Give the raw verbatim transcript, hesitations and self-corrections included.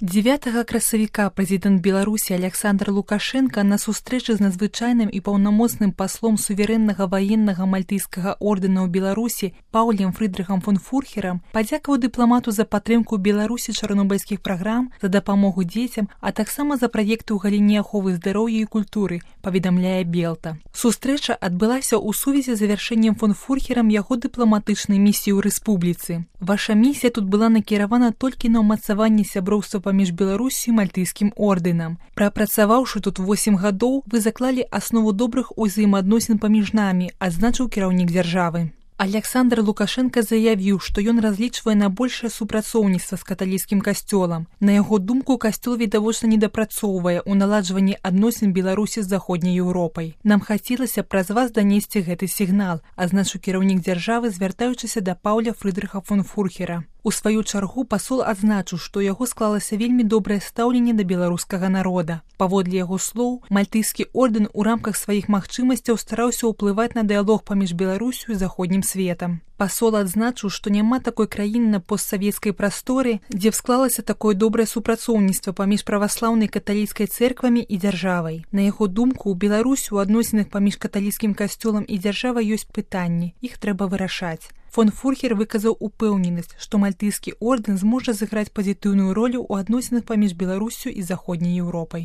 дзевятага красавіка прэзідэнт Беларусі Аляксандр Лукашенка на сустрэчы з надзвычайным і паўнамоцным паслом суверэннага ваеннага мальтыйскага ордэна ў Беларусі Паўлем Фрыдрыхам фон Фурхерам падзякаваў дыпламату за падтрымку Беларусі чарнобыльскіх праграм, за дапамогу дзецям, а таксама за праекты ў галіне аховы здароўя і культуры, паведамляе Белта. Сустрэча адбылася ў сувязі з завяршэннем фон Фурхерам яго дыпламатычнай місіі ў рэспубліцы. Ваша місія тут была накіравана толькі на ўмацаванне сяброўства паміж Беларусю і мальтыйскім ордэнам. Прапрацаваўшы тут восем гадоў, вы заклалі аснову добрых узаемаадносін паміж намі, адзначыў кіраўнік дзяржавы. Аляксандр Лукашенка заявіў, што ён разлічвае на большае супрацоўніцтва з каталіцкім касцёлам. На яго думку, касцёл відавочна недапрацоўвае ў наладжванні адносін Беларусі з заходняй Еўропай. Нам хацелася праз вас данесці гэты сігнал, адзначыў кіраўнік дзяржавы, звяртаючыся да Паўля Фрыдрыха фон Фурхера. У сваю чаргу пасол адзначыў, што ў яго склалася вельмі добрае стаўленне да беларускага народа. Паводле яго слоў, мальтыйскі ордэн у рамках сваіх магчымасцяў стараўся ўплываць на дыялог паміж Беларусю і заходнім светам. Пасол адзначыў, што няма такой краіны на постсавецкай прасторы, дзе склалася такое добрае супрацоўніцтва паміж праваслаўнай каталіцкай цэрквамі і дзяржавай. На яго думку, у Беларусі ў адносінах паміж каталіцкім касцёлам і дзяржавай ёсць пытанні, іх трэба вырашаць. Фон Фурхер выказаў упэўненасць, што мальтыйскі ордэн зможа зыграць пазітыўную ролю ў адносінах паміж Беларусю і заходняй Еўропай.